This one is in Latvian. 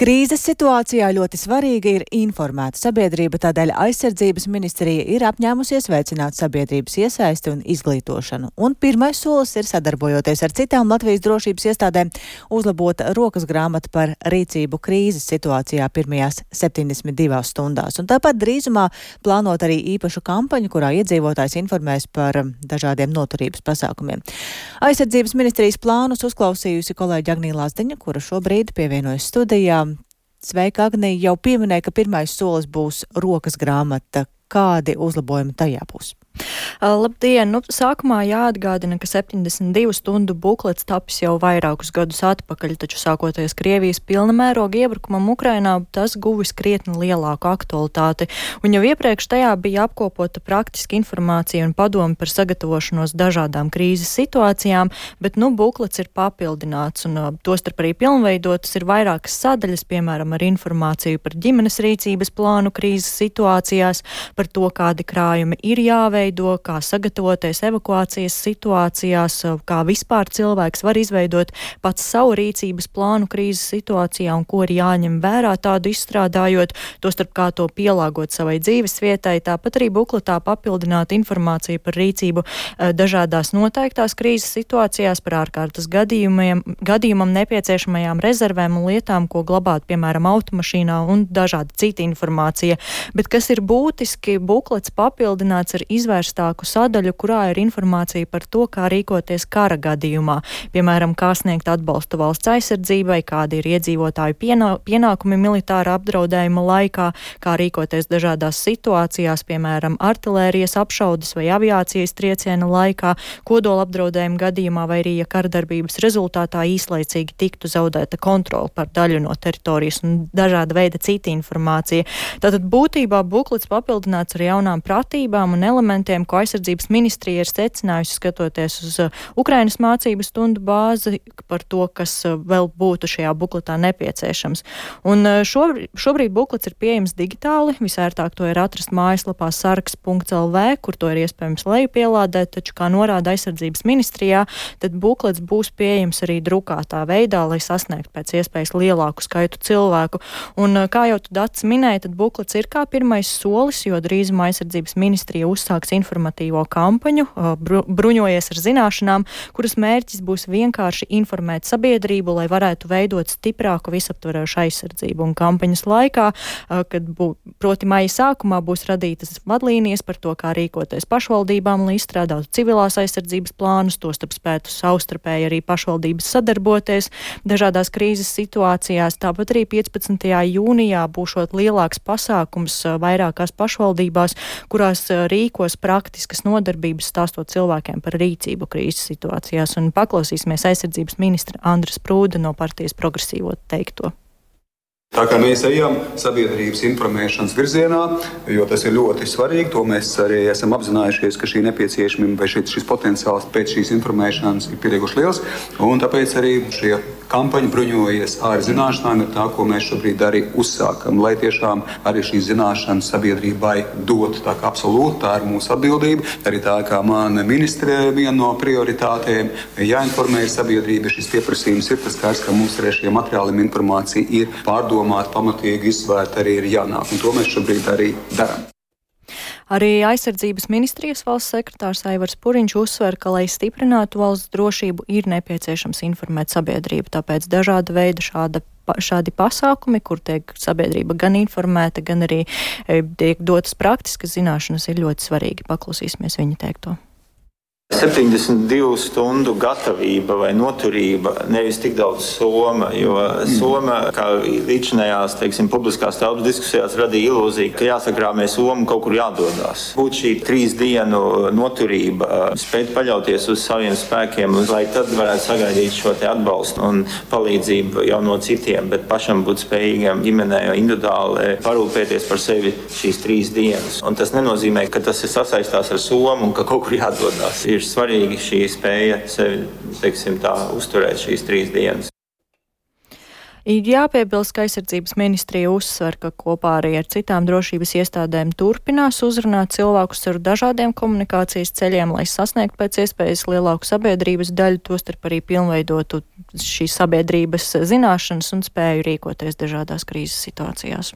Krīzes situācijā ļoti svarīga ir informēta sabiedrība, tādēļ aizsardzības ministrija ir apņēmusies veicināt sabiedrības iesaisti un izglītošanu. Un pirmais solis ir, sadarbojoties ar citām Latvijas drošības iestādēm, uzlabot rokas grāmatu par rīcību krīzes situācijā pirmajās 72 stundās. Un tāpat drīzumā plānot arī īpašu kampaņu, kurā iedzīvotājs informēs par dažādiem noturības pasākumiem. Aizsardzības ministrijas plānus uzklausījusi kolēģi Agnija Lazdiņa, kura šobrīd pievienojas studijā. Sveika, Agnija, jau pieminēja, ka pirmais solis būs rokas grāmata. Kādi uzlabojumi tajā būs? Labdien! Sākumā jāatgādina, ka 72 stundu buklets tapis jau vairākus gadus atpakaļ, taču sākoties Krievijas pilna mēroga iebrukumam Ukrainā, tas guvis krietni lielāku aktualitāti. Un jau iepriekš tajā bija apkopota praktiska informācija un padomi par sagatavošanos dažādām krīzes situācijām, bet buklets ir papildināts un tostarp arī pilnveidotas ir vairākas sadaļas, piemēram, ar informāciju par ģimenes rīcības plānu krīzes situācijās, par to, kādi krājumi ir jāveido, kā sagatavoties evakuācijas situācijās, kā vispār cilvēks var izveidot pats savu rīcības plānu krīzes situācijā un ko ir jāņem vērā tādu izstrādājot, tostarp kā to pielāgot savai dzīves vietai. Tāpat arī bukletā papildināt informāciju par rīcību dažādās noteiktās krīzes situācijās, par ārkārtas gadījumam nepieciešamajām rezervēm un lietām, ko glabāt, piemēram, automašīnā un dažāda cita informācija. Bet kas ir būtiski, buklets papildināts ar izvērstāku sadaļu, kurā ir informācija par to, kā rīkoties kara gadījumā. Piemēram, kā sniegt atbalstu valsts aizsardzībai, kādi ir iedzīvotāju pienākumi militāra apdraudējuma laikā, kā rīkoties dažādās situācijās, piemēram, artilērijas apšaudes vai aviācijas trieciena laikā, kodola apdraudējuma gadījumā vai arī, ja kardarbības rezultātā īslaicīgi tiktu zaudēta kontrola par daļu no teritorijas un dažāda veida cita informācija. Tātad būtībā buklets papildināts ar jaunām pratībām un elementiem, ko aizsardzības ministrija ir secinājusi, skatoties uz Ukrainas mācību stundu bāzi par to, kas vēl būtu šajā bukletā nepieciešams. Un šobrīd buklets ir pieejams digitāli, visērtāk to ir atrast mājaslapā sargs.lv, kur to ir iespējams lejupielādēt, taču, kā norāda aizsardzības ministrijā, tad buklets būs pieejams arī drukātā veidā, lai sasniegtu pēc iespējas lielāku skaitu cilvēku. Un, kā jau tu Dats minēja, tad buklets ir kā pirmais solis, jo drīzumā aizsardzības ministrija uzsāks informatīvo kampaņu, bruņojies ar zināšanām, kuras mērķis būs vienkārši informēt sabiedrību, lai varētu veidot stiprāku visaptverošu aizsardzību. Un kampaņas laikā, proti maija sākumā, būs radītas vadlīnijas par to, kā rīkoties pašvaldībām, lai izstrādātu civilās aizsardzības plānus, tostarp spētu savstarpēji arī pašvaldības sadarboties dažādās krīzes situācijās. Tāpat arī 15. jūnijā būšot lielāks pasākums vairākās pašvaldībās, kurās rīkos praktiskas nodarbības, stāstot cilvēkiem par rīcību krīzes situācijās. Un paklausīsimies aizsardzības ministra Andra Sprūda no partijas Progresīvo teikto. Tā kā mēs ejam sabiedrības informēšanas virzienā, jo tas ir ļoti svarīgi, to mēs arī esam apzinājušies, ka šī nepieciešamība vai šis potenciāls pēc šīs informēšanas ir pietiekuši liels, un tāpēc arī šie kampaņa bruņojies ar zināšanām ir tā, ko mēs šobrīd arī uzsākam, lai tiešām arī šīs zināšanas sabiedrībai dot. Tā kā absolūti tā ir mūsu atbildība, arī tā kā man ministre viena no prioritātēm jāinformē sabiedrība, šis pieprasījums ir tas kāds, ka mums arī šie materiāli informācija ir pārdomāta, pamatīgi izsvērta, arī ir jānāk, un to mēs šobrīd arī darām. Arī aizsardzības ministrijas valsts sekretārs Aivars Puriņš uzsver, ka, lai stiprinātu valsts drošību, ir nepieciešams informēt sabiedrību. Tāpēc dažāda veida šādi pasākumi, kur tiek sabiedrība gan informēta, gan arī tiek dotas praktiskas zināšanas, ir ļoti svarīgi. Paklausīsimies viņa teikto. 72 stundu gatavība vai noturība, nevis tik daudz soma, jo soma, kā līdzinājās, publiskās telpas diskusijās radīja ilūziju, ka jāsakrāmē soma, kaut kur jādodās. Būt šī 3 dienu noturība, spēt paļauties uz saviem spēkiem, lai tad varētu sagaidīt šo te atbalstu un palīdzību jau no citiem, bet pašam būt spējīgam ģimenē individuāli parūpēties par sevi šīs 3 dienas. Un tas nenozīmē, ka tas ir sasaistās ar somu un ka kaut kur jādodās. Ir svarīgi šī spēja sevi, uzturēt šīs 3 dienas. Jāpiebilst, ka aizsardzības ministrija uzsver, ka kopā arī ar citām drošības iestādēm turpinās uzrunāt cilvēkus ar dažādiem komunikācijas ceļiem, lai sasniegtu pēc iespējas lielāku sabiedrības daļu, tostarp arī pilnveidotu šīs sabiedrības zināšanas un spēju rīkoties dažādās krīzes situācijās.